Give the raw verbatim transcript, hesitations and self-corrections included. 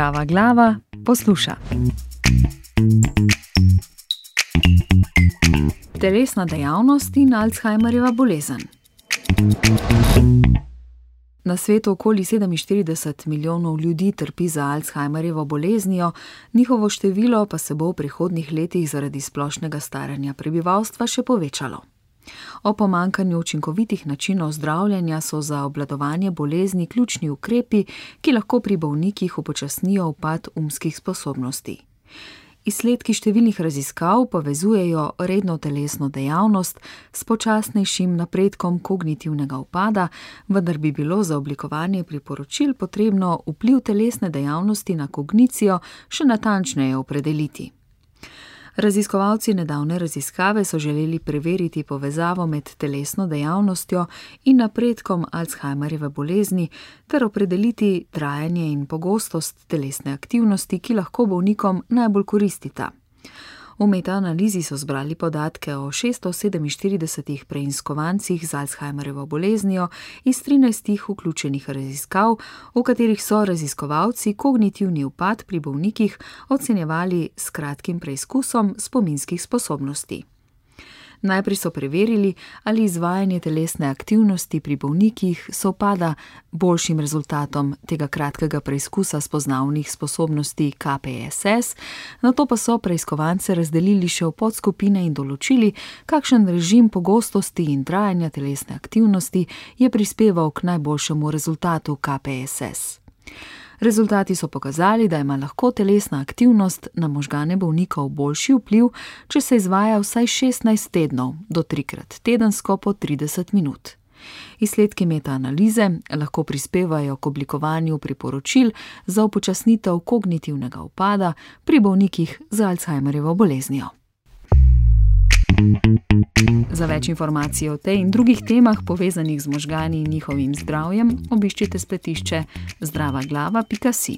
Zdrava glava posluša. Telesna dejavnost in Alzheimerjeva bolezen. Na svetu okoli sedeminštirideset milijonov ljudi trpi za Alzheimerjevo boleznijo, njihovo število pa se bo v prihodnjih letih zaradi splošnega staranja prebivalstva še povečalo. O pomanjkanju učinkovitih načinov zdravljenja so za obvladovanje bolezni ključni ukrepi, ki lahko pri bolnikih upočasnijo upad umskih sposobnosti. Izsledki številnih raziskav povezujejo redno telesno dejavnost s počasnejšim napredkom kognitivnega upada, vendar bi bilo za oblikovanje priporočil potrebno vpliv telesne dejavnosti na kognicijo še natančneje opredeliti. Raziskovalci nedavne raziskave so želeli preveriti povezavo med telesno dejavnostjo in napredkom Alzheimerjeve bolezni ter opredeliti trajanje in pogostost telesne aktivnosti, ki lahko bolnikom najbolj koristita. V metaanalizi so zbrali podatke o šeststo sedeminštiridesetih preiskovancih z Alzheimerjevo boleznijo iz trinajstih vključenih raziskav, v katerih so raziskovalci kognitivni upad pri bolnikih ocenjevali s kratkim preizkusom spominskih sposobnosti. Najprej so preverili, ali izvajanje telesne aktivnosti pri bolnikih sovpada boljšim rezultatom tega kratkega preizkusa spoznavnih sposobnosti K P S S, nato pa so preiskovance razdelili še v podskupine in določili, kakšen režim pogostosti in trajanja telesne aktivnosti je prispeval k najboljšemu rezultatu K P S S. Rezultati so pokazali, da ima lahko telesna aktivnost na možgane bolnikov boljši vpliv, če se izvaja vsaj šestnajst tednov, do trikrat tedensko po trideset minut. Izsledki metaanalize lahko prispevajo k oblikovanju priporočil za upočasnitev kognitivnega upada pri bolnikih z Alzheimerjevo boleznijo. Za več informacij o tej in drugih temah povezanih z možgani in njihovim zdravjem, obiščite spletišče zdrava glava pika si.